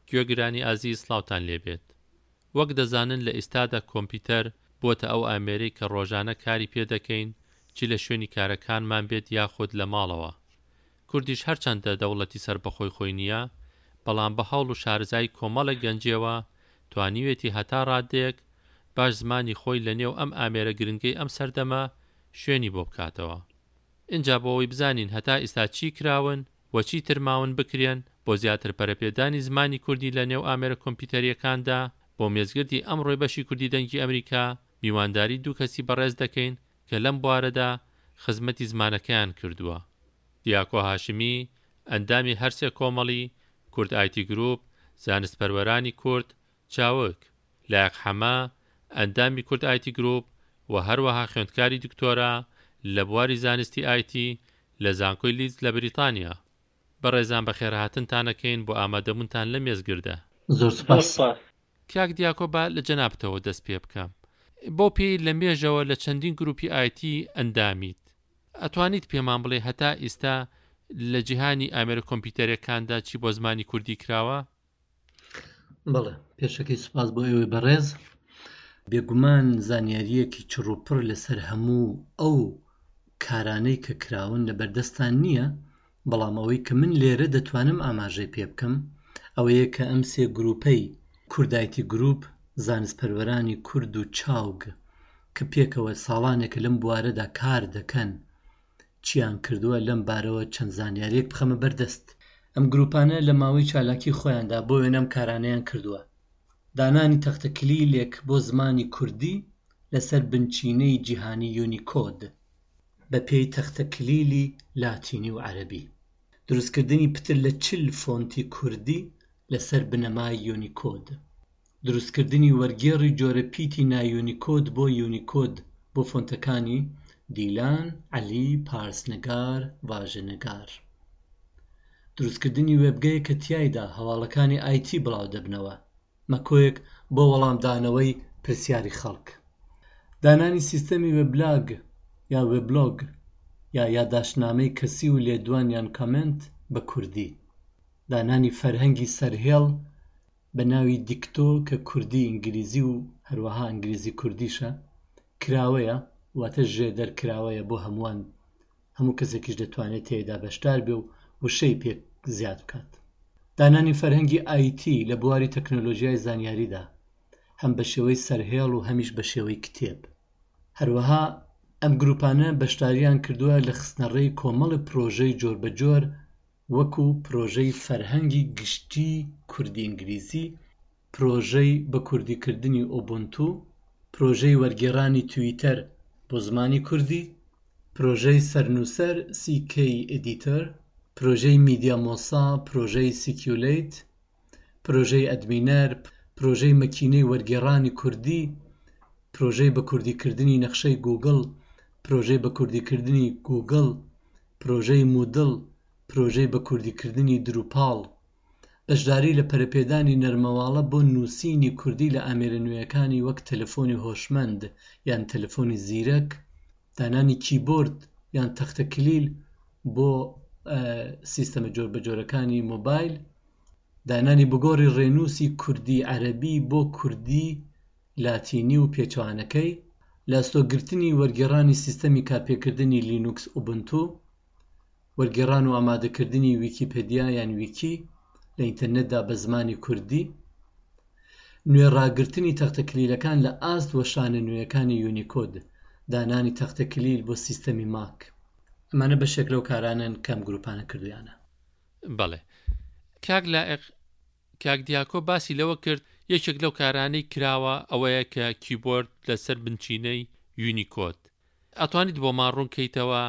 گوێگرانی ئازیز سڵاوتان لێبێت. وەک دەزانن لە ئیستادا کۆمپیوتەر بۆتە ئەو ئامێرەی کە ڕۆژانە کاری پێ دەکەین چی لە شوێنی کارەکانمان بێت یاخود لە ماڵەوە. کوردیش هەرچەندە دەوڵەتی سەربەخۆی خۆی نییە بەڵام بە هەوڵ و شارەزایی کۆمەڵێک گەنجێوە توانیوێتی هەتا ڕادەیەک باش زمانی خۆی لە نێو ئەم ئامێرە گرنگەی ئەم سەردەمە شوێنی بۆ بکاتەوە. ئینجا بۆ ئەوەی بزانین هەتا ئیستا چی کراون و چی تر ماون بکرێن بۆ زیاتر پەرەپێدانی زمانی کوردی لە نێو ئامێرە کۆمپیوتەرییەکاندا، بۆ مێزگردی ئەمڕۆی بەشی کوردی دەنگی ئەمریکا میوانداری دوو کەسی بەڕێز دەکەین کە لەم بوارەدا خزمەتی زمانەکەیان کردووە. دیاکۆ هاشمی، ئەندامی هەرسێ کۆمەڵی، کورد ئایتی گروپ، زانستپەروەرانی کورد، چاوگ، لایەق حەمە، ئەندامی کورد ئایتی گروپ و هەروەها خوێندکاری دکتۆرا لە بواری زانستی ئایتی لە زانکۆی لیدز لە بریتانیا. بەڕێزان بەخێرهاتنتان ئەکەین بۆ ئامادەبوونتان لەم مێزگردە. زۆر زۆر سوپاس. سوپاس. کاک دیاکۆ با لە جەنابتەوە دەست پێ بکەم. بەو پێیەی لە مێژەوە لە چەندین گروپی ئایتی ئەندامیت، ئەتوانیت پێمان بڵێی هەتا ئیستا لە جیهانی ئامێرە کۆمپیوتەرێکاندا چی بۆ زمانی کوردی کراوە؟ بەڵێ پێشەکەی سوپاس بۆ ئێوەی بەڕێز بێگومان زانیارییەکی چڕوپڕ لەسەر هەموو ئەو کارانەی کە کراون لە بەردەستان نییە بەڵام ئەوەی کە من لێرە دەتوانم ئاماژەی پێ بکەم ئەوەیە کە ئەم سێ گروپەی کوردایتی گروپ زانستپەروەرانی کورد و چاوگ کە پێکەوە ساڵانێکە لەم بوارەدا کار دەکەن چیان کردووە لەم بارەوە چەند زانیاریەک بخەمە بەردەست. ئەم گروپانە لە ماوەی چالاکی خۆیاندا بۆ وێنە ئەم کارانەیان کردووە، دانانی تەختەکلیلێک بۆ زمانی کوردی لەسەر بنچینەی جیهانی یونیکۆد بە پێی تەختەکلیلی لاتینی و عەرەبی، دروستکردنی پتر لە 40 فۆنتی کوردی لەسەر بنەمای یونیکۆد. دروستکردنی وەرگێڕی جۆرە پیتی نایونیکۆد بۆ یونیکۆد بۆ فۆنتەکانی، دیلان، عەلی، پارسنگار، ڤاژەنگار. دروستکردنی وێبگەیەک کە تیایدا هەواڵەکانی ئایتی بڵاودەبنەوە، مەکۆیەک بۆ وەڵامدانەوەی پرسیاری خەڵک. دانانی سیستەمی وێبلاگ یا وێبلۆگ یا یاداشتنامەی کەسی و لێدوان یان کامێنت بە کوردی. دانانی فەرهەنگی سەرهێڵ بە ناوی دیکتۆ کە کوردی ئینگلیزی و هەروەها ئینگلیزی کوردیشە، کراوەیە، واتە ژێدەر کراوەیە بۆ هەمووان، هەموو کەسێکیش دەتوانێت تێیدا بەشدار بێ و وشەی پێ زیاد بکات. دانانی فەرهەنگی ئایتی لە بواری تەکنۆلۆژیای زانیاریدا، هەم بە شێوەی سەرهێڵ و هەمیش بە شێوەی کتێب. هەروەها ئەم گرووپانە بەشدارییان کردووە لە خستنەڕێی کۆمەڵێ پرۆژەی جۆربەجۆر وەکو پرۆژەی فەرهەنگی گشتیی کوردی-ئینگلیزی، پرۆژەی بەکوردیکردنی ئوبونتو، پرۆژەی وەرگێڕانی تویتەر بۆ زمانی کوردی، پرۆژەی سەرنووسەر CKEditor، پرۆژەی میدیامۆسا، پرۆژەی سیکیولەیت، پرۆژەی ئەدمینەر، پرۆژەی مەکینەی وەرگێڕانی کوردی، پرۆژەی بەکوردیکردنی نەخشەی گووگڵ، پرۆژەی بەکوردیکردنی گووگڵ، پرۆژەی موودڵ، پرۆژەی بەکوردیکردنی دروپاڵ، بەشداری لە پەرەپێدانی نەرمەواڵە بۆ نووسینی کوردی لە ئامێرە نوێیەکانی وەک تەلەفۆنی هۆشمەند یان تەلەفۆنی زیرەک، دانانی کیبۆرد یان تەختەکلیل بۆ سیستەمە جۆربەجۆرەکانی مۆبایل، دانانی بگۆڕی ڕێنووسی کوردی-عەرەبی بۆ کوردی لاتینی و پێچەوانەکەی، لەئەستۆگرتنی وەرگێڕانی سیستەمی کارپێکردنی لینوکس ئوبونتو، وەرگێڕان و ئامادەکردنی ویکیپەدیا یان ویکی لە ئینتەرنێتدا بە زمانی کوردی، نوێ ڕاگرتنی تەختەکلیلەکان لە ئاست وەشانە نوێیەکانی یونیکۆد، دانانی تەختەکلیل بۆ سیستەمی ماک. ئەمانە بەشێک لەو کارانەن کە ئەم گرووپانە کردوویانە. بەڵێ کاک لائق، کاک دیاکۆ باسی لەوە کرد یەکێک لەو کارانەی کراوە ئەوەیە کە کیبۆرد لەسەر بنچینەی یونیکۆد ئەتوانیت بۆمان ڕوون کەیتەوە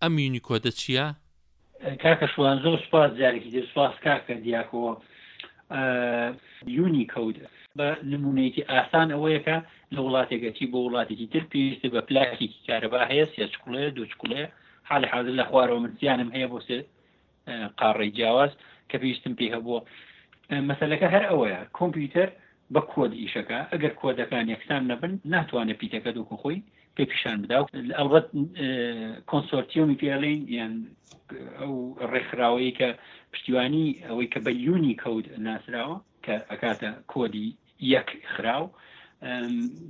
ئەم یونیکۆدە چییە؟ کاکە شوان زۆر سوپاس جارێکی تر سوپاس کاکە دیاکۆ یونیکۆد بە نمونەیەکی ئاسان ئەوەیە کە لە وڵاتێک ئەچی بۆ وڵاتێکی تر پێویستە بە پلاکێکی کارەبا هەیە سێ چکڵەیە دوو چکڵەیە حالی حاضر لە خوارەوە من سیانم هەیە بۆ سێ قاڕەی جیاواز کە پێویستم پێی هەبووە مەسەلەکە هەر ئەوەیە کۆمپیوتەر بە کۆد ئیشەکە ئەگەر کۆدەکان یەکسان نەبن ناتوانێت پیتەکە دوکو خۆی پێ پیشان بدا ئەڵبەت کۆنسۆرتیۆمی پێڵین یان ئەو ڕێکخراوەیە کە پشتیوانی ئەوەی کە بە یونی کەوت ناسراوە کە کە ئەکاتە کۆدی یەک خراو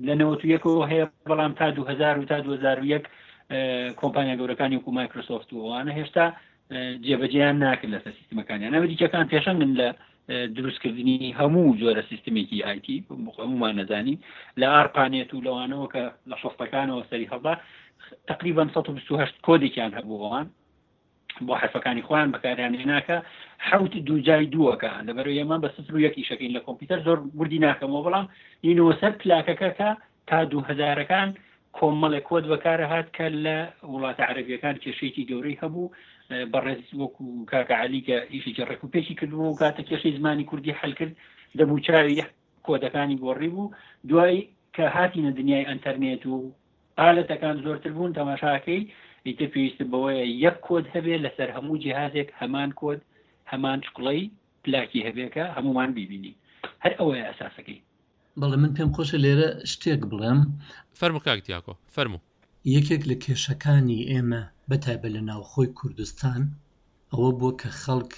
لە 91ەوە هەیە بەڵام تا 2000 و تا 2001 کۆمپانیا گەورەکانی وەکو مایکرۆسۆفت و ئەوانە هێشتا جێبەجێیان ناکرد لەسەر سیستمەکانیان ئەمریکیەکان پێشەنگن لە دروستکردنی هەموو جۆرە سیستمێکی ئایتی هەمومان نەزانین لە ئارپانێت و لەوانەوە کە لە شەستەکانەوە سەری هەڵدا تقریبا 128 کۆدێکیان هەبوو ئەوان بۆ حرفەکانی خۆیان بەکاریان هێناکە حوت دووجای دووەکە لەبەر ئێمە بە سفر و یەک ئیشەکەین لە کۆمپیوتەر زۆر وردی ناکەمەوە بەڵام ینەوە سەر پلاکەکە کە تا دوو هەزارەکان کۆمەڵێک کۆد بەکارهات کە لە وڵاتە عەرەبیەکان کێشەیەکی گەورەی هەبوو بەڕێز وەکو کاکە عەلی کە ئیشێکی ڕێک و پێکی کردبوو و کاتە کێشەی زمانی کوردی حل کرد دەموچاوی کۆدەکانی گۆڕی بوو دوای کە هاتینە دنیای ئەتەرنێت و ئالەتەکان زۆرتر بوون تەماشاکەی ئیتر پێویست بەوەیە یەک کۆد هەبێ لەسەر هەموو جیهازێک هەمان کۆد هەمان چکڵەی پلاکی هەبێکە هەمومان بیبینی هەر ئەوەیە ئەساسەکەی. بەڵێ من پێم خۆشە لێرە شتێک بڵێم. فەرموو کاک دیاکۆ، فەرموو. یەکێک لە کێشەکانی ئێمە بە تایبەت لە ناوخۆی کوردستان ئەوە بووە کە خەڵک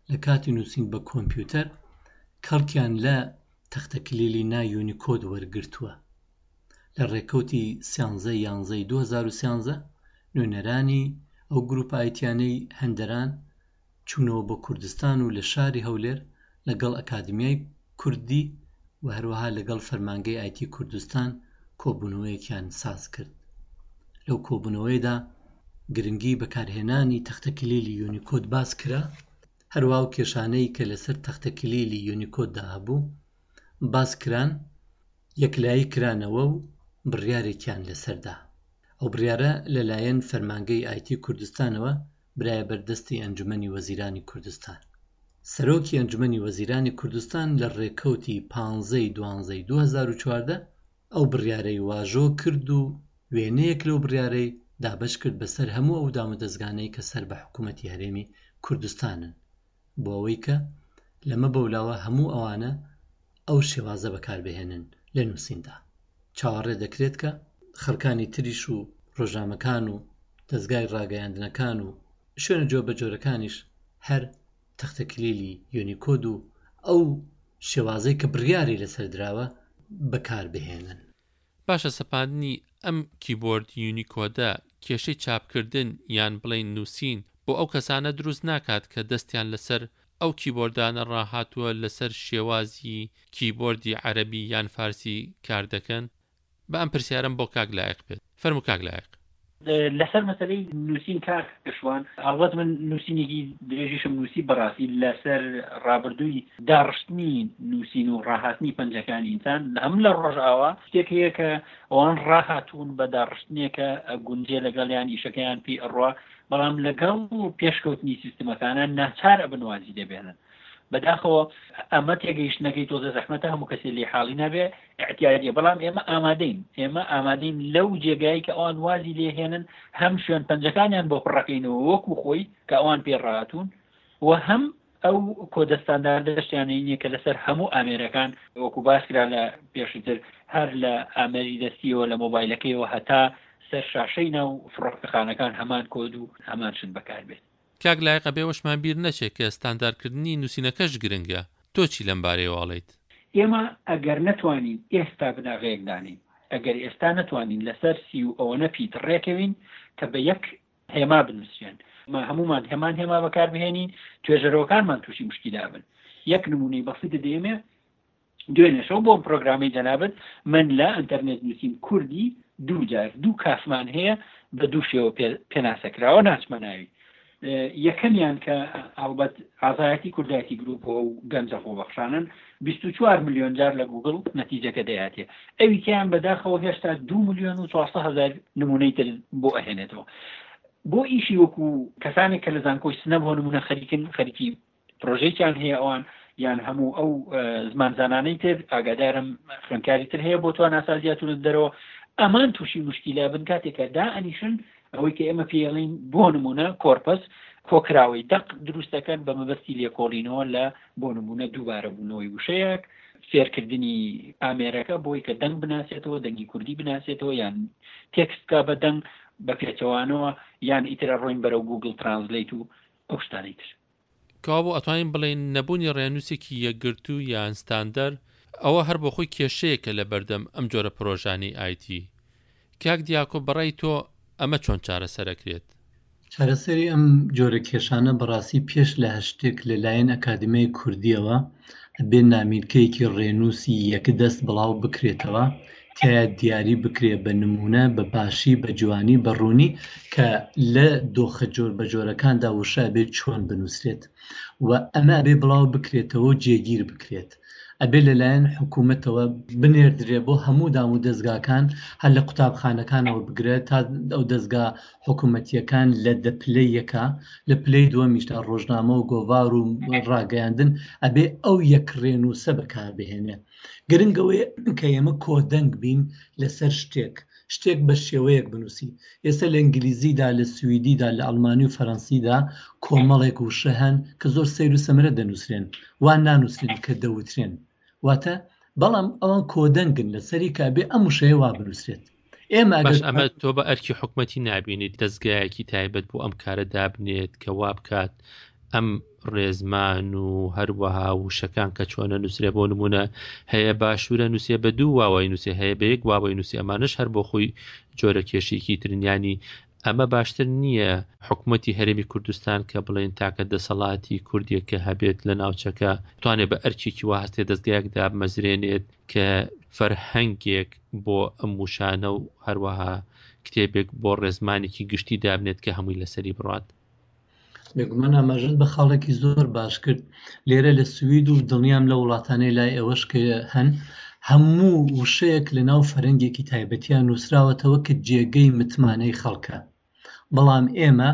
لە کاتی نووسین بە کۆمپیوتەر کەڵکیان لە تەختەکلیلی نا یونیکۆد وەرگرتووە. لە ڕێکەوتی سیانزە یانزەی 2013 نوێنەرانی ئەو گروپە ئایتیانەی هەندەران چوونەوە بۆ کوردستان و لە شاری هەولێر لەگەڵ ئەکادمیای کوردی و هەروەها لەگەڵ فەرمانگەی ئایتی کوردستان کۆبوونەوەیەکیان ساز کرد. لەو کۆبوونەوەیەدا گرنگی بەکارهێنانی تەختەکلیلی یونیکۆد باس کرا، هەروەها ئەو کێشانەی کە لەسەر تەختەکلیلی یونیکۆددا هەبوو باس کران، یەکلایی کرانەوە و بڕیارێکیان لەسەر دا. ئەو بڕیارە لەلایەن فەرمانگەی ئایتی کوردستانەوە برایە بەر دەستی ئەنجومەنی وەزیرانی کوردستان. سەرۆکی ئەنجومەنی وەزیرانی کوردستان لە ڕێکەوتی پانزە ی دوانزە ی 2014 ئەو بڕیارەی واژۆ کرد و وێنەیەک لەو بڕیارەی دابەش کرد بەسەر هەموو ئەو دامودەزگانەی کە سەر بە حکوومەتی هەرێمی کوردستانن بۆ ئەوەی کە لەمە بەولاوە هەموو ئەوانە ئەو شێوازە بەکاربهێنن لە نووسیندا. چاوەڕێ دەکرێت کە خەڵکانی تریش و ڕۆژنامەکان و دەزگای ڕاگەیاندنەکان و شوێنە جۆربەجۆرەکانیش هەر تەختەکلیلی یۆنیکۆد و ئەو شێوازەی کە بڕیاری لەسەر دراوە بەکاربهێنن. باشە سەپاندنی ئەم کیبۆرد یونیکۆدە کێشەی چاپکردن یان بڵێین نووسین بۆ ئەو کەسانە دروست ناکات کە دەستیان لەسەر ئەو کیبۆردانە ڕاهاتووە لەسەر شێوازی کیبۆردی عەرەبی یان فارسی کار دەکەن؟ با ئەم پرسیارەم بۆ کاک لایق بێت. فەرموو کاک لایق. لەسەر مەسەلەی نووسین کاک شوان، هەڵبەت من نووسینێکی درێژیشم نووسی بەڕاستی لەسەر ڕابردووی داڕشتنی نووسین و ڕاهاتنی پەنجەکانی ئینسان هەم لە ڕۆژئاوا شتێک هەیە کە ئەوان ڕاهاتوون بە داڕشتنێکە ئەگونجێ لەگەڵیان ئیشەکەیان پێی ئەڕوا بەڵام لەگەڵ پێشکەوتنی سیستمەکانە ناچار ئەبن وازی لێبێنن بەداخەوە ئەمە تێگەیشتنەکەی تۆزە زەحمەتە هەموو کەسێ لێ حاڵی نابێ اعتیادیە بەڵام ئێمە ئامادەین ئێمە ئامادەین لەو جێگای کە ئەوان وازی لێهێنن هەم شوێن پەنجەکانیان بۆ پڕەکەینەوە وەکو خۆی کە ئەوان پێ ڕاتون و هەم ئەو کۆدە ستانداردەشتیانەی نییە کە لەسەر هەموو ئامێرەکان وەکو باسکرا لە پێشتر هەر لە ئامێری دەستیەوە لە مۆبایلەکەیەوە هەتا سەر شاشەی ناو فڕۆکەخانەکان هەمان کۆد و هەمان شت بەکاربێت. کاک لایق ئەبێ ئەوەشمان بیر نەچێ کە ستاندارکردنی نووسینەکەش گرنگە، تۆ چی لەم بارەیەوە ئەڵێیت؟ ئێمە ئەگەر نەتوانین ئێستا بناغەیەک دانێین، ئەگەر ئێستا نەتوانین لەسەر سی و ئەوەنە پیت ڕێکەوین کە بە یەک هێما بنووسرێن، ما هەموومان هەمان هێما بەکاربهێنین، توێژەرەوەکانمان تووشی مشکیلە ئەبن. یەک نموونەی بەسیتت دەیەمێ، دوێنێ شەو بۆم پرۆگرامەی جەنابت من لە ئەنتەرنێت نووسیم کوردی دوو جار دوو کافمان هەیە بە دوو شێوە پێناسە کراوە ناچمە ناوی یەکەمیان کە هەڵبەت ئازایەتی کوردایەتی گروپ و گەنجە خۆبەخشانن 24 میلیۆن جار لە گوگل نەتیجەکە دەیاتێ ئەوی کەیان بەداخەوە هێشتا 2 میلیۆن و 400 هزار نمونەی تر بۆ ئەهێنێتەوە بۆ ئیشی وەکو کەسانێک کە لە زانکۆی سنە بۆ نمونە خەریکن خەریکی پرۆژەیەکیان هەیە ئەوان یان هەموو ئەو زمانزانانەی تر ئاگادارم خوێنکاری تر هەیە بۆ تواناسازی هاتوونەتە دەرەوە ئەمان تووشی مشکیلە بن کاتێکە دا ئەنیشن ئەوەی کە ئێمە پێڵین بۆ نمونە کۆرپەس کۆکراوەی دەق دروست دەکەن بە مەبەستی لێکۆڵینەوە لە بۆ نمونە دووبارە بوونەوەی وشەیەک فێرکردنی ئامێرەکە بۆی کە دەنگ بناسێتەوە دەنگی کوردی بناسێتەوە یان تێکست بکە بە دەنگ بە پێچەوانەوە یان ئیترە ڕۆین بەرەو گوگل ترانزلیت و ئەو شتانەی تر. کەوابوو ئەتوانین بڵێین نەبوونی ڕێنووسێکی یەکگرتوو یان ستاندەر ئەوە هەر بۆ خۆی کێشەیەکە لە بەردەم ئەم جۆرە پرۆژانەی ئایتی. کاک دیاکۆ بەڕای تۆ ئەمە چۆن چارەسەر ئەکرێت؟ چارەسەری ئەم جۆرە کێشانە بەڕاستی پێش لە هەر شتێک لە لایەن ئەکادیمیای کوردییەوە ئەبێ نامیلکەیەکی ڕێنووسی یەکدەست بڵاو بکرێتەوە، تیایا دیاری بکرێ بە نموونە بە باشی بە جوانی بە ڕوونی کە لە دۆخە جۆربەجۆرەکاندا وشە ئەبێ چۆن بنووسرێت و ئەمە ئەبێ بڵاو بکرێتەوە و جێگیر بکرێت. ئەبێ لەلایەن حکوومەتەوە بنێردرێ بۆ هەموو دام و دەزگاکان هەر لە قوتابخانەکانەوە بگرە تا ئەو دەزگا حکوومەتییەکان لە دە پلەی یەکا لە پلەی دووەمیشدا ڕۆژنامە و گۆڤار و ڕاگەیاندن ئەبێ ئەو یەک ڕێنووسە بەکاربهێنێ گرنگ ئەوەیە کە ئێمە کۆدەنگ بین لەسەر شتێک شتێک بە شێوەیەک بنووسی ئێستا لە ئینگلیزیدا لە سویدیدا لە ئەڵمانی و فەرەنسیدا کۆمەڵێک وشە هەن کە زۆر سەیر و سەمەرە دەنووسرێن وا نانووسرێن کە دەوترێن واتە بەڵام ئەوان کۆدەنگن لەسەری کە ئەبێ ئەم وشەیە وا بنووسرێت ئێمە باش ئەمە تۆ بە ئەرکی حکومەتی نابینیت دەزگایەکی تایبەت بۆ ئەم کارە دابنێت کە وا بکات ئەم ڕێزمان و هەروەها وشەکان کە چۆنە نووسرێ بۆ نمونە هەیە باشوورە نووسێ بە دوو واوەی نووسێ هەیە بە یەک واوەی نووسی ئەمانش هەر بۆ خۆی جۆرە کێشێکی ترنیانی ئەمە باشتر نییە حکوومەتی هەرێمی کوردستان کە بڵێن تاکە دەسەڵاتی کوردیە کە هەبێت لە ناوچەکە توانێت بە ئەرکێکی وا هەستێ دەستگایەک دابمەزرێنێت کە فەرهەنگێک بۆ ئەم وشانە و هەروەها کتێبێک بۆ ڕێزمانێکی گشتی دابنێت کە هەمووی لەسەری بڕات. بێگومان ئاماژەت بە خاڵێکی زۆر باش کرد لێرە لە سوید و دڵنیام لە وڵاتانەی لای ئێوەش کە هەن هەموو وشەیەک لە ناو فەرەنگێکی تایبەتیان نووسراوەتەوە کە جێگەی متمانەی خەڵکە بەڵام ئێمە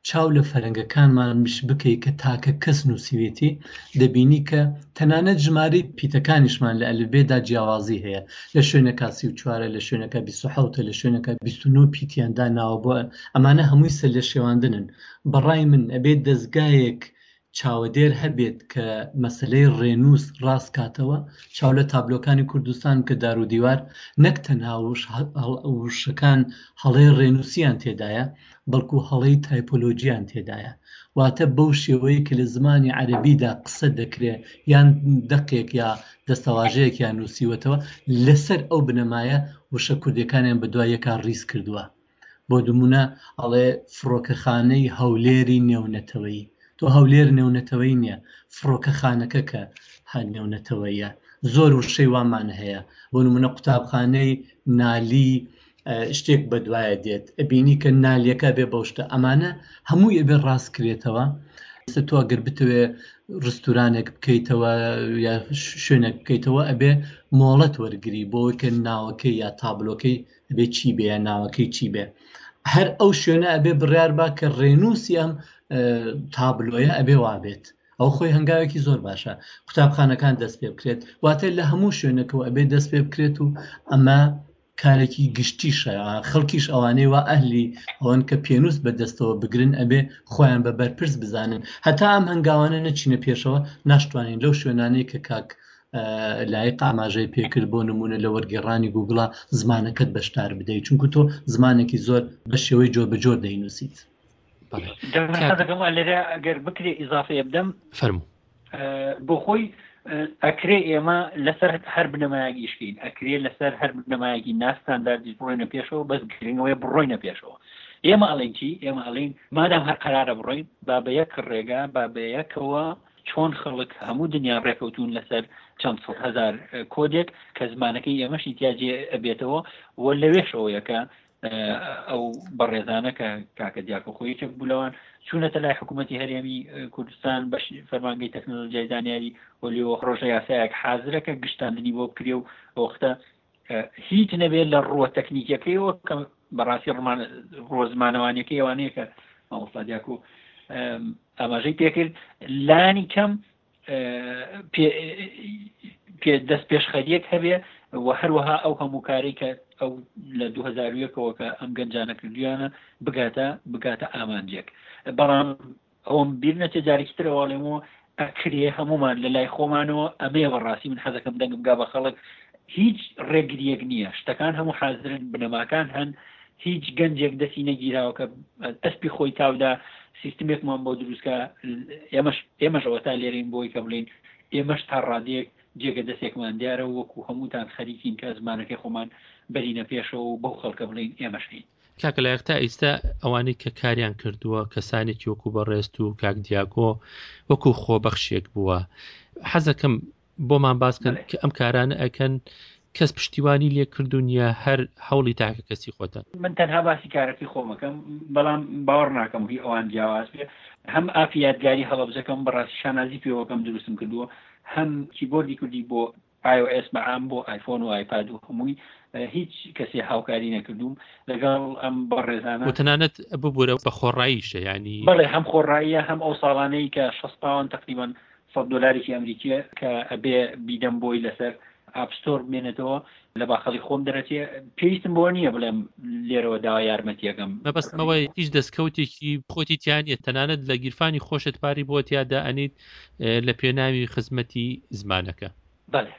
چاو لە فەرەنگەکانمانیش بکەی کە تاکە کەس نووسیوێتی دەبینی کە تەنانەت ژمارەی پیتەکانیشمان لە ئەلفبێدا جیاوازی هەیە لە شوێنەکە 34 لە شوێنەکە 27 لە شوێنەکە 29 پیتیان داناوە بۆ ئەمانە هەمووی سەرلێشێواندنن بەڕای من ئەبێت دەزگایەک چاوەدێر هەبێت کە مەسەلەی ڕێنووس ڕاست کاتەوە، چاو لە تابلۆکانی کوردستان بکە دار و دیوار نەک تەنها وشەکان هەڵەی ڕێنووسیان تێدایە بەڵکو هەڵەی تایپۆلۆجیان تێدایە واتە بەو شێوەیە کە لە زمانی عەرەبیدا قسە دەکرێ یان دەقێک یا دەستەواژەیەکیان نووسیوەتەوە لەسەر ئەو بنەمایە وشە کوردیەکانیان بەدوای یەکا ڕیز کردووە. بۆ نموونە ئەڵێ فڕۆکەخانەی هەولێری نێونەتەوەیی تۆ هەولێر نێونەتەوەی نییە فڕۆکەخانەکە کە هەر نێونەتەوەیە زۆر وشەی وامان هەیە بۆ نمونە قوتابخانەی نالی شتێک بەدوایە دێت ئەبینی کە نالیەکە بێ بەو شتە ئەمانە هەمووی ئەبێ ڕاست کرێتەوە ئێستا تۆ ئەگەر بتەوێ ڕستورانێک بکەیتەوە یا شوێنێک بکەیتەوە ئەبێ مۆڵەت وەرگری بۆ کە ناوەکەی یا تابلۆکەی ئەبێ چی بێ یا ناوەکەی چی بێ هەر ئەو شوێنە ئەبێ بڕیار با کە ڕێنووسی ئەم تابلۆیە ئەبێ وابێت ئەو خۆی هەنگاوێکی زۆر باشە قوتابخانەکان دەست پێ بکرێت واتە لە هەموو شوێنەکەەوە ئەبێ دەست پێ بکرێت و ئەمە کارێکی گشتیشە خەڵکیش ئەوانەی وا ئەهلی ئەوەن کە پێنووس بە دەستەوە بگرن ئەبێ خۆیان بە بەرپرس بزانن هەتا ئەم هەنگاوانە نەچینە پێشەوە ناشتوانین لەو شوێنانەی کە کاک لایق ئاماژەی پێکرد بۆ نمونە لە وەرگێڕانی گوگڵا زمانەکەت بەشدار بدەیت چونکو تۆ زمانێکی زۆر بە شێوەی جۆر بە جۆر دەینووسیت. لێرە ئەگەر بکرێ ئیزافەیە بدەم فەرموو. بۆ خۆی ئەکرێ ئێمە لەسەر هەر بنەمایەک ئیشکەین ئەکرێ لەسەر هەر بنەمایەکی ناستانداردیش بڕۆینە پێشەوە بەس گرنگەوەی بڕۆینە پێشەوە ئێمە ئەڵێن چی ئێمە ئەڵێن مادام هەر قەرارە بڕۆین با بە یەک ڕێگا با بە یەکەوە چۆن خەڵک هەموو دنیا ڕێکەوتون لەسەر چەند سەد هەزار کۆدێک کە زمانەکەی ئێمەشی تیا جێ ئەبێتەوە و لەوێشەوەیە کە ئەو بەڕێزانە کە کاکە دیاکۆ خۆی یەکێک بوو لەوان چوونەتە لای حکوومەتی هەرێمی کوردستان بەش فەرمانگەی تەکنەلۆژیای زانیاری و لێوە ڕۆژە یاسایەک حازرە کە گشتاندنی بۆ بکرێ و ئەوەختە هیچ نەبێت لە ڕووە تەکنیکیەکەیەوە کە بەڕاستی ڕمان ڕووە زمانەوانیەکەی ئەوانەیە کە مامۆستا دیاکۆ ئاماژەی پێکرد لانی کەم دەست پێشخەریەک هەبێ و هەروەها ئەو هەموو کارەی کە ئەو لە 2001ەوە کە ئەم گەنجانە کردویانە بگاتە بگاتە ئامانجێک بەڵام ئەوم بیر نەچێ جارێکی ترەوە ئەڵێمەوە ئەکرێ هەمومان لە لای خۆمانەوە ئەمەیە بەڕاستی من حەزەکەم دەنگم گا بە خەڵک هیچ ڕێگریەک نییە شتەکان هەموو حازرن بنەماکان هەن هیچ گەنجێک دەستی نەگیراوە کە ئەسپی خۆی تاودا. سیستمێکمان بۆ دروستکە ئێمەش ئێمەش ئەوەتا لێرەین بۆی کە بڵێین ئێمەش تا ڕادەیەک جێگە دەستێکمان دیارە و وەکو هەمووتان خەریکین کە زمانەکەی خۆمان بەرینە پێشەوە و بەو خەڵکە بڵێین ئێمەش هەین. کاکە لایق تا ئیستا ئەوانەی کە کاریان کردووە کەسانێکی وەکو بەڕێزت و کاک دیاکۆ وەکو خۆبەخشێک بووە حەزەکەم بۆمان باس کەن کە ئەم کارانە ئەکەن کەس پشتیوانی لێ کردوون یا هەر هەوڵی تاکە کەسی خۆتان؟ من تەنها باسی کارەکەی خۆمەکەم بەڵام باوەڕ ناکەم هی ئەوان جیاواز بێ هەم ئافی یادگاری هەڵەبجەکەم بەڕاستی شانازی پێوەکەم دروستم کردووە هەم کیبۆردی کوردی بۆ iOS بە عام بۆ ئایفۆن و ئایپاد و هەمووی هیچ کەسێ هاوکاری نەکردووم لەگەڵ ئەم بەڕێزانە و تەنانەت ببورە بە خۆڕاییشە یانی بەڵێ هەم خۆڕاییە هەم ئەو ساڵانەی کە 60 پاوەند تقریبا سەد دۆلارێکی ئەمریکیە کە ئەبێ بیدەم بۆی لەسەر ئاپ ستۆر بمێنێتەوە لە باخەڵی خۆم دەرەچێ پێویستم بۆ نییە بڵێم لێرەوە داوا یارمەتیەکەم. مەبەستم ئەوەیە هیچ دەستکەوتێکی خۆتی تیا نییە تەنانەت لە گیرفانی خۆشت پاری بۆ تیا دائەنیت لە پێناوی خزمەتی زمانەکە. بەڵێ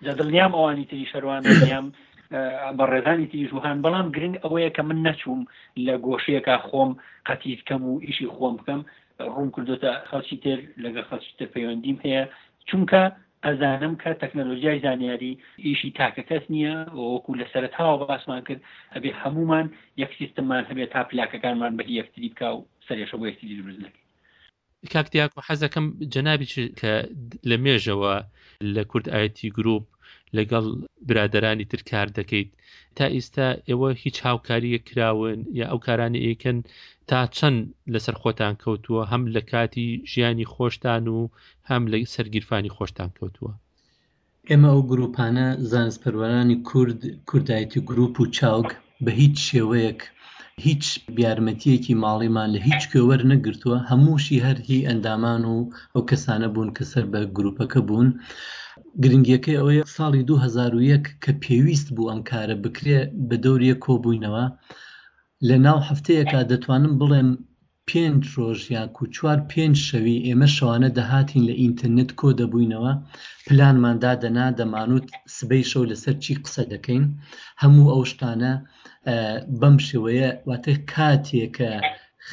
جا دڵنیام ئەوانی تریش هەروان دڵنیام بەڕێزانی تریش وهان بەڵام گرنگ ئەوەیە کە من نەچووم لە گۆشەیەکا خۆم قەتیس کەم و ئیشی خۆم بکەم ڕووم کردوتە خەڵکی تر لەگەڵ خەڵکی تر پەیوەندیم هەیە چونکە ئەزانم کە تەکنەلۆژیای زانیاری ئیشی تاکە کەس نییە وەکو لە سەرەتاوە باسمان کرد ئەبێ هەمومان یەک سیستممان هەبێت تا پلاکەکانمان بە یەکتری بکا و سەرێشە بۆ یەکتری دروست نەکەین. کاک دیاکۆ حەزەکەم جەنابیش کە لە مێژەوە لە کورد ئایتی گروپ لەگەڵ برادەرانی تر کار دەکەیت تا ئیستا ئێوە هیچ هاوکاریەک کراون یا ئەو کارانە ئەیکەن تا چەند لەسەر خۆتان کەوتووە هەم لە کاتی ژیانی خۆشتان و هەم لە سەر گیرفانی خۆشتان کەوتووە؟ ئێمە ئەو گرووپانە، زانستپەروەرانی کورد، کوردایەتی گرووپ و چاوگ، بە هیچ شێوەیەک هیچ یارمەتییەکی ماڵیمان لە هیچ کوێ وەرنەگرتووە، هەمووشی هەر هی ئەندامان و ئەو کەسانە بوون کە سەر بە گرووپەکە بوون. گرنگییەکەی ئەوەیە ساڵی 2001 کە پێویست بوو ئەم کارە بکرێ بە دەوری یەک کۆبووینەوە، لە ناو هەفتەیەکا دەتوانم بڵێم پێنج ڕۆژ یاکو چوار پێنج شەوی ئێمە شەوانە دەهاتین لە ئینتەرنێت کۆ دەبووینەوە پلانمان دادەنا دەمانوت سبەی شەو لەسەر چی قسە دەکەین هەموو ئەو شتانە بەم شێوەیە واتە کاتێ کە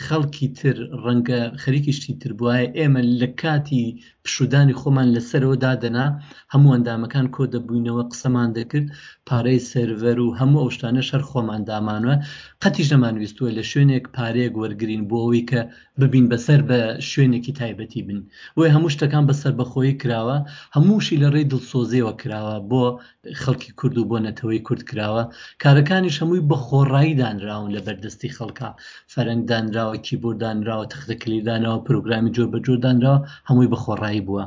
خەڵکی تر ڕەنگە خەریکی شتی تر بوایە ئێمە لە کاتی پشوودانی خۆمان لەسەرەوە دادەنا، هەموو ئەندامەکان کۆدەبووینەوە قسەمان دەکرد، پارەی سێرڤەر و هەموو ئەو شتانەش هەر خۆمان دامانوە، قەتیش نەمانویستووە لە شوێنێک پارەیەک وەرگرین بۆ ئەوەی کە ببین بەسەر بە شوێنێکی تایبەتی بن، بۆیە هەموو شتەکان بە سەربەخۆیی کراوە، هەمووشی لە ڕێی دڵسۆزیەوە کراوە بۆ خەڵکی کورد و بۆ نەتەوەی کورد کراوە، کارەکانیش هەمووی بە خۆڕایی دانراون لە بەردەستی خەڵکا، فەرەنگ دانراوە، کیبۆرد دانراوە، تەختە کلیل دانراوە، پرۆگرامی جۆر بە جۆر دانراوە، هەمووی بە خۆڕایی بووە.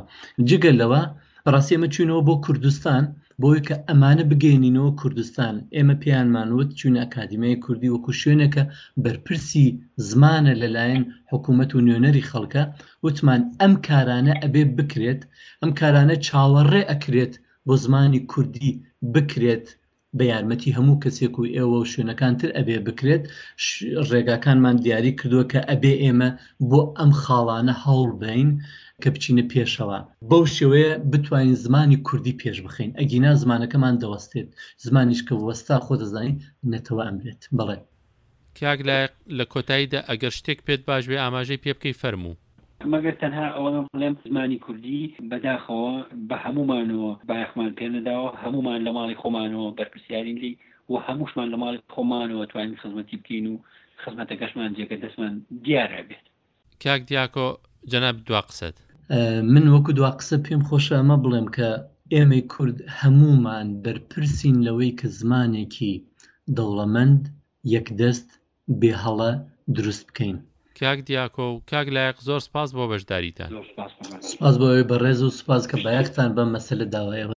جگە لەوە بەڕاستی ئێمە چووینەوە بۆ کوردستان بۆی کە ئەمانە بگەیەنینەوە کوردستان، ئێمە پێیانمان وت چووینە ئەکادیمیای کوردی وەکو شوێنێکە بەرپرسی زمانە لەلایەن حکوومەت و نوێنەری خەڵکە، وتمان ئەم کارانە ئەبێ بکرێت، ئەم کارانە چاوەڕێ ئەکرێت بۆ زمانی کوردی بکرێت بە یارمەتی هەموو کەسێک و ئێوە و شوێنەکان تر ئەبێ بکرێت ڕێگاکانمان دیاری کردووە کە ئەبێ ئێمە بۆ ئەم خاڵانە هەوڵ بەین کە بچینە پێشەوە بەو شێوەیە بتوانین زمانی کوردی پێش بخەین ئەگینا زمانەکەمان دەوەستێت زمانیش کە وەستا خۆ دەزانی نەتەوە ئەمرێت بەڵێ. کاک لایق لە کۆتاییدا ئەگەر شتێک پێت باش بێ ئاماژەی پێ بکەی فەرموو. مەگەر تەنها ئەوە بڵێم زمانی کوردی بەداخەوە بە هەموومانەوە بایەخمان پێ نەداوە، هەموومان لە ماڵی خۆمانەوە بەرپرسیارین لێی و هەمووشمان لە ماڵی خۆمانەوە توانین خزمەتی بکەین و خزمەتەکەشمان جێگە دەستمان دیار ئەبێت. کاک دیاکۆ جەنابت دوا قسەت. من وەکو دوا قسە پێم خۆشە ئەمە بڵێم کە ئێمەی کورد هەموومان بەرپرسین لەوەی کە زمانێکی دەوڵەمەند، یەکدەست، بێ هەڵە دروست بکەین. کاک دیاکۆ و کاک لایق زۆر سپاس بۆ بەشداریتان. سپاس بۆ ئێوەی بەڕێز و سپاس کە بایەختان بەم مەسەلە داوە. ئێوە.